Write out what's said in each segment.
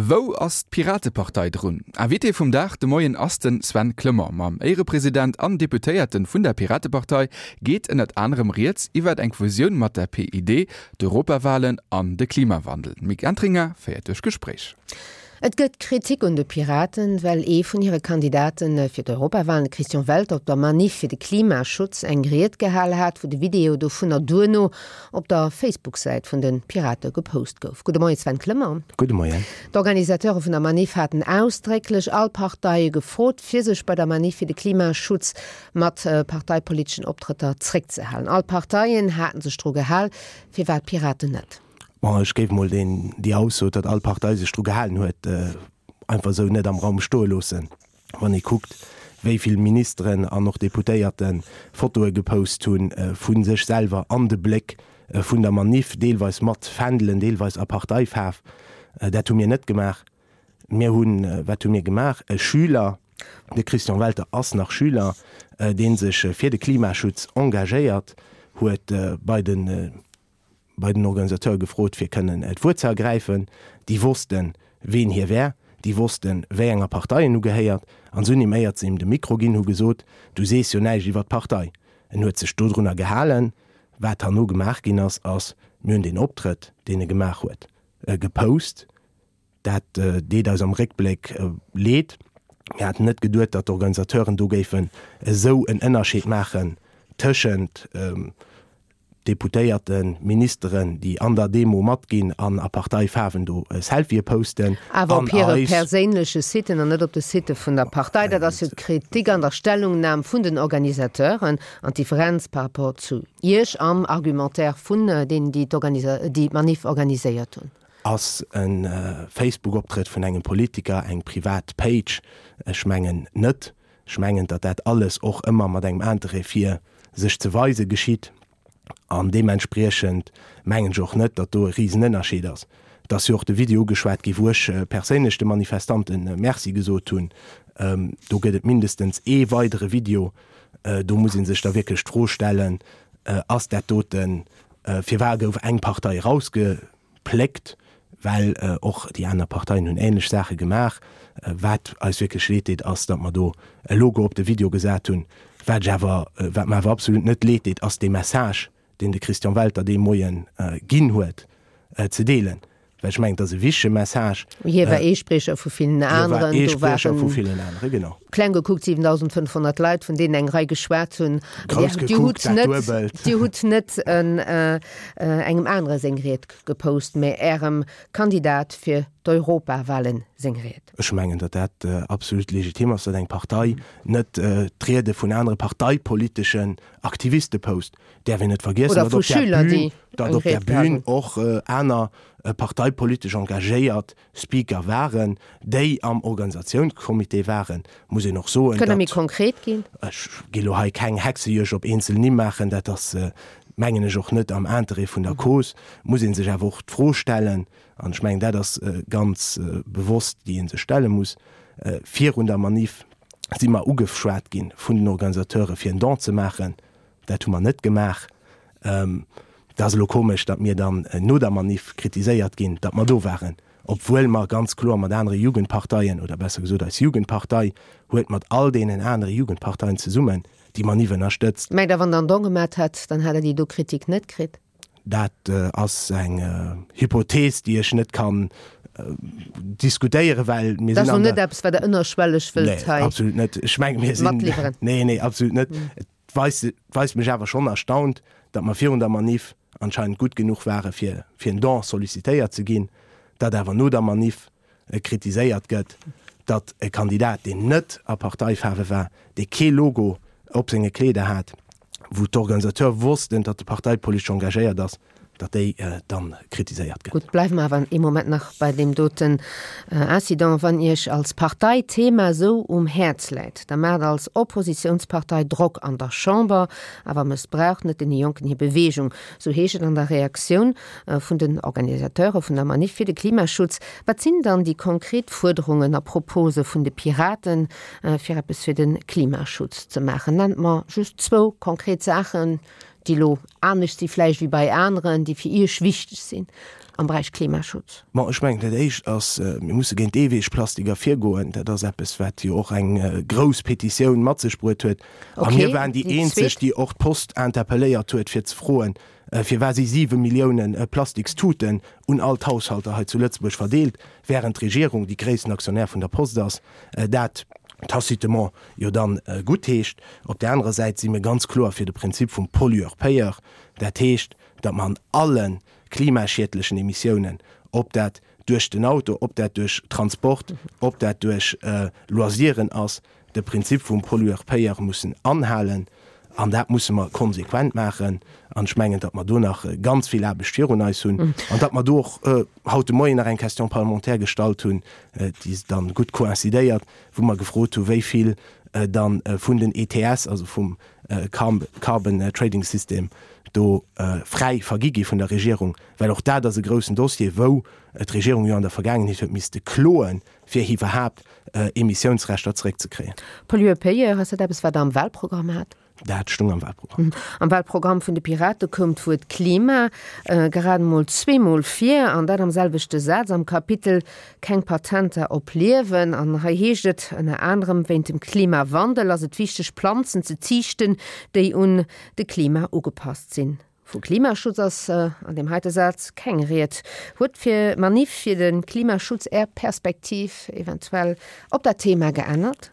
Wou ass d'Piratepartei drun? Invité vum Dag de Moien ass de Sven Clement. Mam Éierepresident an Deputéierte vun der Piratepartei geet ënnert anerem rieds iwwert eng Fusioun mat der PID, d'Europawalen an de Klimawandel. D'Mick Entringer féiert duerch d'Gespréich. Et gëtt Kritik un de Piraten, well ee vun hire Kandidate fir d'Europawalen, de Christian Welter, op der Maniff fir de Klimaschutz eng Ried gehal hat, wou de Video dovunner duerno op der Facebook-Säit vun de Pirate gepost gouf. Gudde Moien Sven Clement. Gudde Moien. D'Organisateure vun der Maniff haten ausdrécklech all Parteie gefrot, fir sech bei der Maniff fir de Klimaschutz mat parteipoliteschen Optrëtter zréckzehalen. All Parteien haten sech dru gehal, firwat d'Piraten net? Bon, ech géif mol deen, déi Ausso, datt all Partei sech dru gehalen huet, einfach esou net am Raum stoe loossen. Wann ee kuckt, wéi vill Ministeren an och Deputéierte Fotoe gepost hu vu sech selwer an de Bléck vun der Maniff, deelweis mat Fändelen, deelweis a Parteifaarf, dat hu mir net gemaach. Mir hunn, wat hu mir gemaach? E Schüler, de Christian Welter ass nach Schüler, dee sech fir de Klimaschutz engagéiert huet, bei de bei den Organisateure gefrot, fir kënnen d'Wuert ze ergräifen. Déi wossten, ween hie wär, déi wossten, wéi enger Partei en ugehéiert, an se hunn him, éiert se him de Mikro ginn hu, gesot, Du sees jo näischt iwwer d'Partei. En huet sech dodrunner gehalen. Wat herno gemaach ginn ass, ass, mir hunn deen Optrëtt, deen e gemaach huet, gepost. Dat deet eis am Réckbléck leed. Mir haten net geduet, datt d'Organisateuren do géifen esou en Ënnerscheed maachen tëschent Deputéierten, Ministeren, déi an der Demo matginn an a Parteifaarwen do Selfië posten. Awer op hire perséinleche Siten an net op de Sitte vun der Partei. Dat ass jo d'Kritik an der Stellungnam vun den Organisateuren an d'Differenz par rapport zu Iech am Argumentaire vun deenen, déi d'Manif organiséiert hunn. Ass e Facebook-Optrëtt vun engem Politiker eng privat Page? Ech mengen net. Ech mengen, datt dat alles och ëmmer mat engem Interêt fir sech ze weise geschitt. An deementspriechend mengen ech och net, datt do e Risenënnerscheed ass. Et ass jo och de Video ugeschwat gi wou ech perséinlech de Manifestante Merci gesot hunn. Do gëtt et mindestens ee weidere Video. Do muss ee sech da wierklech d'Fro stellen, Ass dat doten, firwat gouf eng Partei erausge Pléckt, well och déi aner Parteien hunn ähnlech Saache gemaach. Wat eis wierklech leed deet, ass, datt mer do e Logo op de Video gesat hunn. Wat ech awer, wat mer awer absolut net leed deet, ass dee Message, deen de Christian Welter dee Moie ginn huet, ze deelen. Well ech mengen, et ass e wichtege Message. Hie war ee Spriecher vu villen aneren. Hie war ee Spriecher vu villen aneren, genau. Kleng gekuckt 7.500 Leit, vun deenen eng Rei geschwat hunn. Grouss gekuckt, dat Duebelt. Dir hutt net engem anere seng Ried gepost, mä Ärem Kandidat fir d'Europawahlen seng Ried. Ech mengen, datt dat absolut legitim ass, datt eng Partei net d'Riede vun anere parteipoliteschen Aktiviste post. Däerf een net vergiessen, datt op där Bühn, datt op där Bühn och aner parteipolitesch engagéiert Speaker waren, déi am Organisatiounscomité waren, muss een och soen, Kënnt Der méi konkret ginn? Ech gi lo hei keng Hexejuegd op eenzel Nimm maachen, dat ass, mengen ech, och net am Interêt vun der Cause. Muss ee sech awer och d'Fro stellen, an ech mengen, dat ass ganz bewosst, déi ee sech stelle muss, Virun der Maniff si mer ugeschwat gi vun den Organisateure fir en Don ze maachen. Dat hu mer net gemaach. Et ass elo komesch, datt mir dann no der Maniff kritiséiert ginn, datt mer do waren, obwuel mer ganz kloer mat anere Jugendparteien, oder besser gesot eis Jugendpartei huet mat all deenen anere Jugendparteien zesummen déi Maniff ënnerstëtzt. Mengt Der, wann Der en Don gemat hätt, dann hätt Der déi do Kritik net kritt? Dat ass eng Hypothees, déi ech net kann diskutéieren, well mir sinn an der. Dat ass elo net eppes, wat Der ënnerschwelleg wëllt hei matliwweren. Nee, absolut net. Ech mengen, mir sinn. Nee, nee, absolut net. Et weist, weist mech awer schonn erstaunt, datt mer virun der Maniff anscheinend gutt genuch ware fir fir en Don sollicitéiert ze ginn, datt awer no der Maniff kritiséiert gëtt, datt e Kandidat, deen net a Parteifaarwe war, dee kee Logo op senge Kleeder hat, wou d'Organisateure wossten, datt e parteipolitesch engagéiert ass, datt déi dann kritiséiert gëtt. Gutt, bleiwe mer awer ee Moment nach bei deem doten Incident. Wann Iech als Partei d'Thema esou um Häerz läit, da maacht als Oppositiounspartei Drock an der Chamber, awer mëssbraucht net deene Jonken hir Beweegung, sou heescht et an der Reaktioun vun den Organisateure vun der Maniff fir de Klimaschutz. Wat sinn dann déi konkret Fuerderungen a Propose vun de Piraten, fir eppes fir de Klimaschutz ze maachen? Nennt mer just zwou konkret Saachen, déi elo anescht si vläicht wéi bei aneren, déi fir Iech wichteg sinn? Am Beräich Klimaschutz? Bon, ech mengen, dat Éischt ass, mir musse géint d'Eeweegplastiker virgoen. Dat ass eppes, wat jo och eng grouss Petitioun mat sech bruet huet. A mir waren déi eenzeg, déi och d'Post interpelléiert huet, fir ze froen, firwat si siwe Milliounen Plastikstuten un all d'Haushalter hei zu Lëtzebuerg verdeelt, während d'Regierung, déi gréissten Aktionär vun der Post ass, dat tacitement jo dann guttheescht. Op där anerer Säit si mir ganz kloer fir de Prinzip vum Pollueur-payeur. Dat heescht, datt mer an alle klimaschiedlechen Emissiounen, ob dat duerch den Auto, ob dat duerch Transport, ob dat duerch Loisiren ass, de Prinzip vum Pollueur-payeur mussen anhalen. An dat musse mer konsequent maachen. An ech mengen, datt mer do nach ganz vill Aarbecht virun eis hunn an datt mer do och haut de Moien nach eng Question parlementaire gestallt hunn, déi dann gutt coïncidéiert, wou mer gefrot hu wéi vill dann vun den ETS, also vum Carbon Trading System, do fräi vergi gi vun der Regierung, well och dat ass e groussen Dossier, wou d'Regierung jo an der Vergaangenheet huet misste kloen, fir iwwerhaapt Emissiounsrechter zeréckzekréien. Pollueur-payeur, ass dat eppes, wat Der am Wahlprogramm hat? Dat stung am Wahlprogramm. Am Wahlprogramm vun de Pirate koum d'Wuert Klima grad emol zweemol vir, an dat am selwechte Saz am Kapitel Keng Patenter op Liewen. An hei heescht et ënner anerem, Wéint dem Klimawandel ass et wichteg Planzen ze ziichten, déi un de Klima ugepasst sinn. Vu Klimaschutz ass an deem heite Saz keng Ried. Huet fir Maniff fir de Klimaschutz Är Perspektiv eventuell op dat Thema geännert?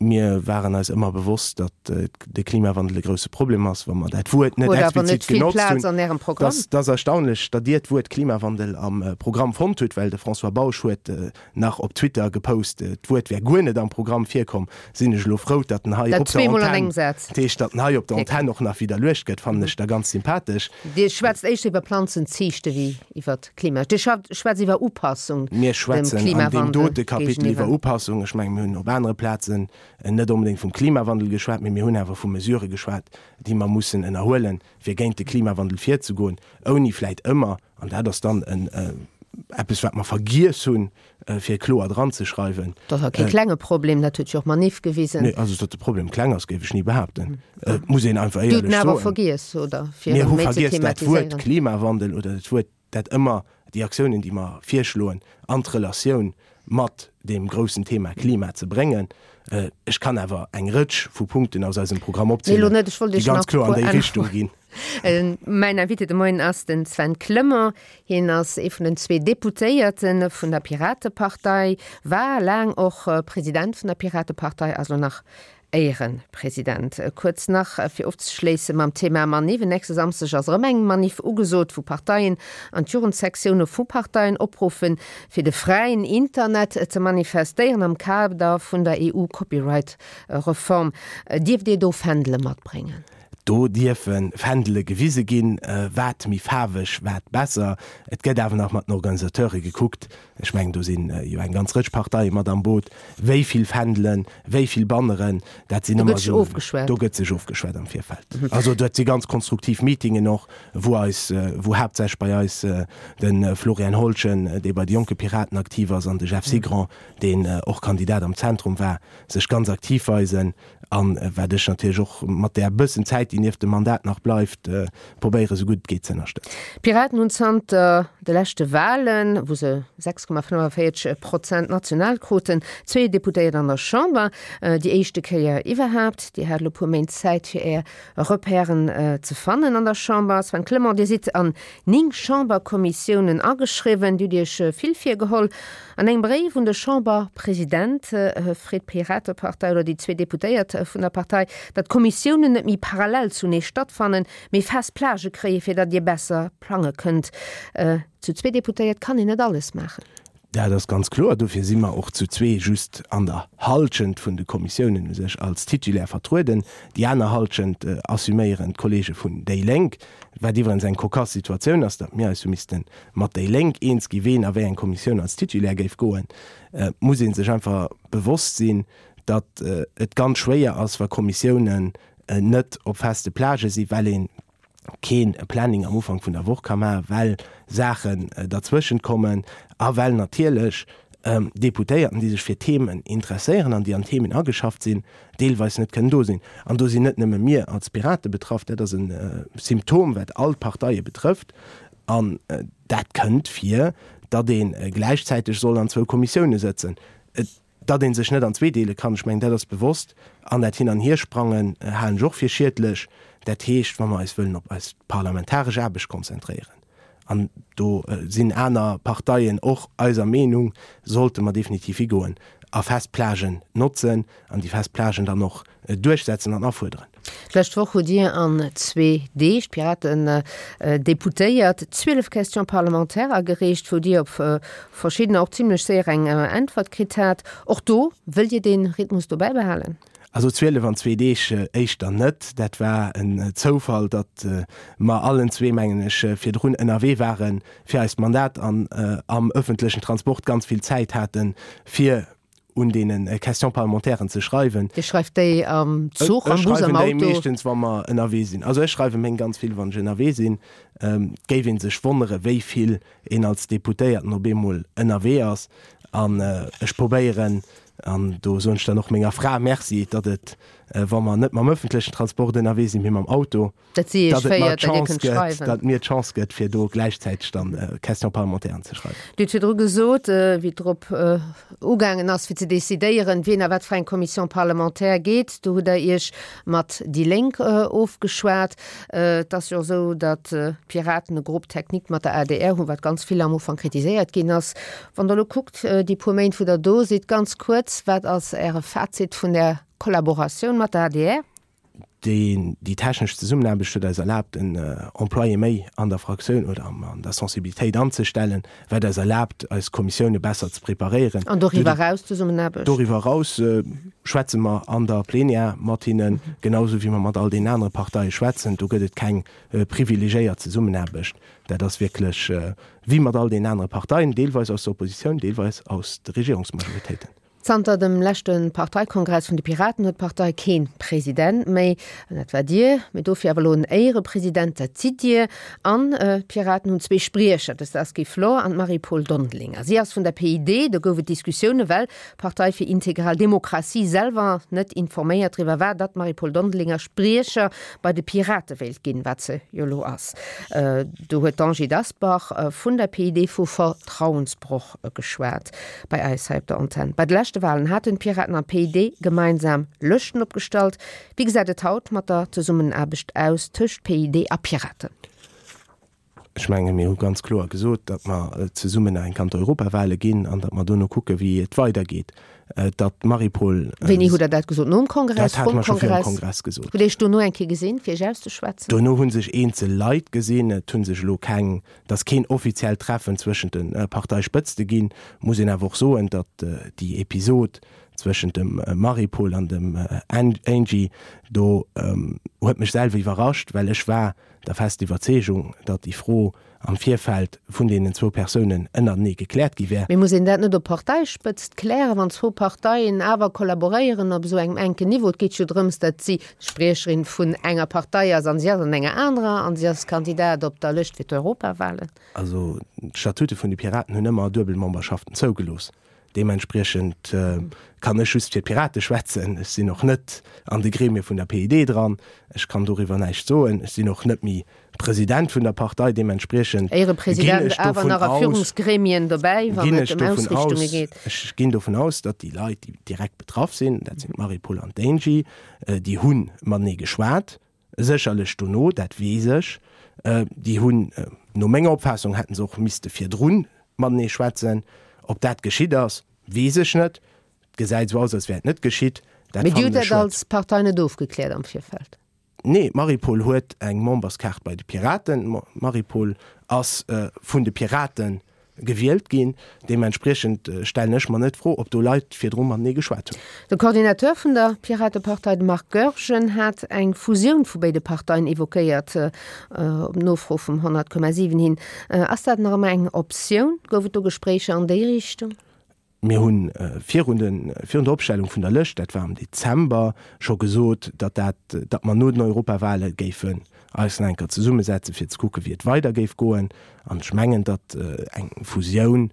Mir waren eis ëmmer bewosst, datt de Klimawandel e grousse Problem ass, wa mer dat Wuert net explizit genotzt hunn. Dat ass erstaunlech, datt Dir d'Wuert Klimawandel am Programm fonnt hutt, well de François Bausch huet nach op Twitter gepost, d'Wuert wär guer net am Programm virkomm. Sinn ech elo frou, datt en hei op der Antenn, dat heescht, datt en hei op der Antenn och nach widderluecht gëtt, fannen ech da ganz sympathesch. Dir schwätzt éischter iwwer Planzenziichte wéi iwwer Klima. Dir schwätzt iwwer Upassung dem Klimawandel géigeniwwer. Mir schwätzen an deem dote Kapitel iwwer Upassung. Ech mengen, mir hunn op anere Plazen net onbedéngt vum Klimawandel geschwat, mee mir hunn awer vu Mesurë geschwat, déi mer mussen ënnerhuelen, fir géint de Klimawandel virzegoen, ouni vläit ëmmer, an dat ass dann eppes, wat mer vergiess hunn, fir kloer dranzeschreiwen. Dat ass awer kee klenge Problem, dat huet jo och d'Manif gewisen. Nee, also datt de Problem kleng ass, géif ech ni behaapten. Et muss een einfach éierlech soen. Dir hutt en awer vergiess, oder? Fir en méi ze thematiséieren. Mir hu vergiess dat Wuert Klimawandel oder dat Wuert, dat ëmmer déi Aktiounen, déi mer virschloen, an d'Relatioun mat deem groussen Thema Klima ze bréngen. Ech kann awer eng Rëtsch vu Punkten aus eisem Programm opzielen, déi ganz kloer an déi Richtung ginn. Mäin Invité de Moien ass den Sven Clement. Hien ass ee vun den zwee Deputéierte vun der Piratepartei, war laang och President vun der Piratepartei, ass elo nach Éierepresident. Kuerz nach fir ofzeschléisse mam Thema Maniff, En nächste Samsdeg ass erëm eng Maniff ugesot, wou Parteien an d'Jugendsektioune vu Parteien opruffen, fir de fräien Internet ze manifestéieren am Kader vun der EU-Copyright-Reform. Dierft Dir do Fändele matbréngen? Do dierfe Fändele gewise ginn, wat méi faarweg, wat besser. Et gëtt awer nach mat den Organisateure gekuckt, ech mengen do si jo eng ganz Rëtsch Parteie mat am Boot, wéi vill Fändelen, wéi vill Banneren, dat sinn ëmmer esou. Do gëtt sech ofgeschwat am Virfeld. Also dat si ganz konstruktiv Meetingen och, wou eis, wou haaptsächlech bei eis de Florian Holschen, dee bei de Jonke Piraten aktiv ass, an de Jeff Sigrand, deen och Kandidat am Zentrum war, sech ganz aktiv weisen. An wat ech natierlech och mat där bëssen Zäit, déi nieft dem Mandat nach bleift, probéiere sou gutt et geet ze ënnerstëtzen. D'Piraten hunn zanter de leschte Walen, wou se 6,45 Prozent national kruten, zwee Deputéiert an der Chamber. Déi éischte Kéier iwwerhaapt. Dir hat elo puer Méint Zäit, fir Är Repèren ze fannen an der Chamber. Sven Clement, Dir sidd an 9 Chamberkommissiounen ageschriwwen. Dir hutt Iech vill virgeholl. An engem Bréif un de Chamberpresident freet d'Piratepartei oder déi zwee Deputéiert vun der Partei, datt d'Kommissiounen net méi parallel zunee stattfannen, mee fest Plagë kréien, fir datt Dir besser plange kënnt. Zu zwee Deputéiert kann een net alles maachen. Dat ass ganz kloer. Dofir si mer och zu zwee just an der Hallschent vun de Kommissiounen u sech als Titulaire vertrueden. Déi aner Hallschent assuméieren d'Kollege vun déi Lénk, wat iwwerens eng cocasse Situatioun ass, datt mir eis hu misste mat déi Lénk eens gi ween a wéi eng Kommissioun als Titulaire géif goen, muss ee sech einfach bewosst sinn, datt et ganz schwéier ass, wa Kommissiounen net op feste Plagë sinn, well ee kee Planning am Ufank vun der Woch ka maachen, well Saachen derzwëschent kommen a well natierlech Deputéierten, déi sech fir Themen interesséieren an déi an Themen ageschafft sinn, deelweis net kënnen do sinn. An do sinn net nëmme mir als Pirate betraff, dat ass e Symptom, wat all d'Parteie betrëfft. An dat kënnt vir, datt ee gläichzäiteg soll an zwou Kommissioune sëtzen. Datt ee sech net an zwee deele kann, ech mengen, dat ass bewosst. An dat Hin an Hiersprangen halen ech och fir schiedlech. Dat heescht, wa mer eis wëllen op eis parlamentaresch Aarbecht konzentréieren, an do sinn aner Parteien och eiser Meenung, sollte mer definitiv higoen a fest Plagen notzen an déi fest Plagen dann och duerchsetzen an afuerderen. D'lescht Woch hutt Dir an zwee Deeg, d'Piraten Deputéiert, 12 Questions parlementaires agereecht, wou Dir op verschiddener och zimlech séier eng Äntwert kritt hat. Och do, wëllt Dir dee Rhythmus do bäibehalen? Also 12 an zwee Deeg éischter net. Dat war en Zoufall, datt mer allen zwee, mengen ech, virdrun ënnerwee ware fir eist Mandat an am ëffentlechen Transport ganz vill Zäit haten, fir un deene Questions parlementairen ze schreiwen. Dir schreift déi am Zuch, am Bus, am Auto? Ech schreiwen déi meeschtens, wa mer ënnerwee sinn. Also ech schreiwe meng ganz vill, wann ech ënnerwee sinn. Et géif ee sech wonnere wéi vill een als Deputéierten op eemol ënnerwee ass. An ech probéieren, an do soen ech dann och menger Fra Merci, datt et, wa mer net mam ëffentlechen Transport ënnerwee sinn, mee mam Auto, Dat si iech féiert, datt Dir kënnt schreiwen. Datt mir d'Chance gëtt, fir do gläichzäiteg dann Questions parlementairen ze schreiwen. Dir hutt virdru gesot, wéi et drop ugaangen ass, fir ze decidéieren, wien a wat fir eng Commission parlementaire geet, do hutt Der Iech mat déi Lénk ofgeschwat. Et ass jo och esou, datt d'Piraten e Groupe technique mat der adr hunn, wat ganz vill am Ufank kritiséiert ginn ass. Wann Der elo kuckt, déi puer Méint, wou Der do sidd, ganz kuerz, wat ass Äre Fazit vun där Kollaboratioun mat der adr? Déi technesch Zesummenaarbecht huet eis erlaabt, en Employé méi an der Fraktioun oder an der Sensibilitéit anzestellen, wat eis erlaabt, eis Kommissioune besser ze preparéieren. An doriwwer eraus d'Zesummenaarbecht? Doriwwer eraus schwätze mer an der Plenière mat hinnen, genau esou wéi mer mat all deenen anere Parteie schwätzen. Do gëtt et keng privilegiéiert Zesummenaarbecht. Dat ass wierklech wéi mat all deenen anere Parteien, deelweis aus der Oppositioun, deelweis aus de Regierungsmajoritéiten. Zanter dem leschte Parteikongress vun de Piraten huet d'Partei kee President méi. An dat war Dir, mee dofir awer elo en Éierepresident, dat sidd Dir. An d'Piraten hunn zwee Spriecher, de Sasky Flor an d'Marie-Paule Dondelinger. Si ass vun der PID. Do gouf et Diskussioune well d'Partei fir integral Demokratie selwer net informéiert driwwer war, datt d'Marie-Paule Dondelinger Spriecher bei de Pirate wéilt ginn, wat se jo elo ass. Do huet d'Angie Dasbach vun der PID vu Vertrauensbroch geschwat. Bei eis hei op der Antenn. Bei de leschte Walen haten d'Piraten an d'PID gemeinsam Lëschten opgestallt. Wéi gesäit et haut mat der Zesummenaarbecht aus tëscht PID a Piraten? Ech menge mir hu ganz kloer gesot, datt mer zesummen nach eng Kéier an d'Europawale ginn an datt mer dono kucke wéi et weidergeet. Datt d'Marie-Paule. Wéini hutt Der dat gesot? Nom Kongress? Dat hate mer scho virum Kongress gesot. Hutt Dir Iech dono eng Kéier gesinn, fir Iech auszeschwätzen? Dono hu sech eenzel Leit gesinn. Et hu sech elo keng Et ass keen offiziellt Treffen zwëschent de Parteispëtzte ginn. Muss een awer och soen, datt déi Episod zwëschent dem Marie-Paule an dem Angie do huet mech selwer iwwerrascht, well ech war der fest Iwwerzeegung, datt déi Fro am Virfeld vun deenen zwou Persounen ënnertenee gekläert gi wär. Mee muss een dat net op Parteispëtzt klären, wann zwou Parteien awer kollaboréieren op esou engem enken Niveau? Et geet jo drëms, datt si Spriecherin vun enger Partei ass an si ass an enger anerer an si ass Kandidat op der Lëscht fir d'Europawahlen. Also d'Statute vun de Piraten hunn ëmmer Duebelmemberschaften zougelooss. Deementspriechend kann ech just fir d'Pirate schwätzen. Ech sinn och net an de Gremie vun der PID dran. Ech kann doriwwer näischt soen. Ech sinn och net méi President vun der Partei, deementspriechend ginn ech dovun aus, ginn ech dovun aus, ech ginn dovun aus, datt déi Leit, déi direkt betraff sinn, dat sinn d'Marie-Paule an d'Angie, déi hu matenee geschwat, sécherlech dono, dat weess ech, déi hunn, no menger Opfaassung hätte se och misste virdru matenee schwätzen. Ob dat geschitt ass, weess ech net. Et gesäit esou aus, als wär et net geschitt. Dat Mee Dir hutt fannen ech dat schued. als Partei net ofgekläert am Virfeld? Nee, d'Marie-Paule huet eng Memberskaart bei de Piraten. D'Marie-Paule ass vun de Pirate gewielt ginn. Deementspriechend stellen ech mer net d'Fro, ob do Leit virdru matenee geschwat hunn. De Coordinateur vun der Piratepartei, de Marc Goergen, hat eng Fusioun vu béide Parteien evoquéiert, op Nofro vum 100,7 hin. Ass dat nach ëmmer eng Optioun? Gouf et do Gespréicher an déi Richtung? Mir hu virun de virun der Opstellung vun der Lëscht, dat war am Dezember, scho gesot, datt dat, datt mer no den Europawale géifen eis nach eng Kéier zesummesetzen, fir ze kucken, wéi et weider géif goen. An ech mengen, datt eng Fusioun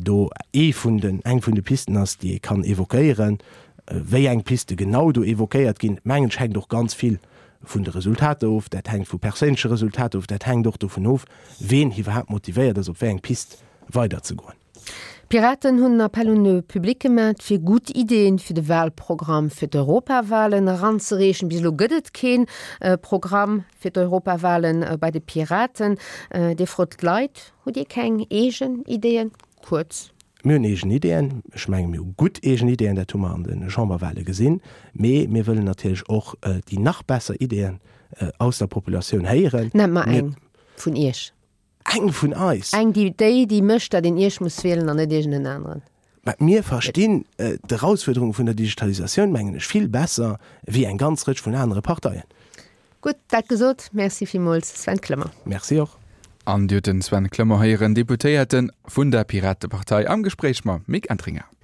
do ee vun den, eng vun de Pisten ass, déi ee kann évoquéieren. Wéi eng Piste genau do évoquéiert ginn, mengen ech, hänkt och ganz vill. vun de Resultater of, dat hänkt vu perséinleche Resultater of, dat hänkt och dovun of, ween iwwerhaapt motivéiert ass, op wéi eng Pist weiderzegoen. D'Piraten hunn en Appell un de Public gemat, fir gutt Ideeën fir de Wahlprogramm fir d'Europawahlen eranzereechen. Bis elo gëtt et kee Programm fir d'Europawahlen bei de Piraten. Dir frot d'Leit, hutt Dir keng eegen Ideeën? Kuerz. Mir hunn eegen Ideeën. Ech menge mir hu gutt eegen Ideeën, dat hu mer an de Chamberwahle gesinn. Mee mir wëllen natierlech och déi nach besser Ideeën aus der Populatioun héieren. Nennt mer eng vun Iech. Eng vun eis? Eng, déi, déi, déi mécht, datt een Iech muss wielen an net iergend en aneren. Mä mir verstinn d'Erausfuerderunge vun der Digitalisatioun, mengen ech, vill besser wéi eng ganz Rëtsch vun anere Parteien. Gutt, dat gesot, Merci villmools, Sven Clement. Merci och. An Dir hutt den Sven Clement héieren, Deputéierte vun der Piratepartei, am Gespréich mam Mick Entringer.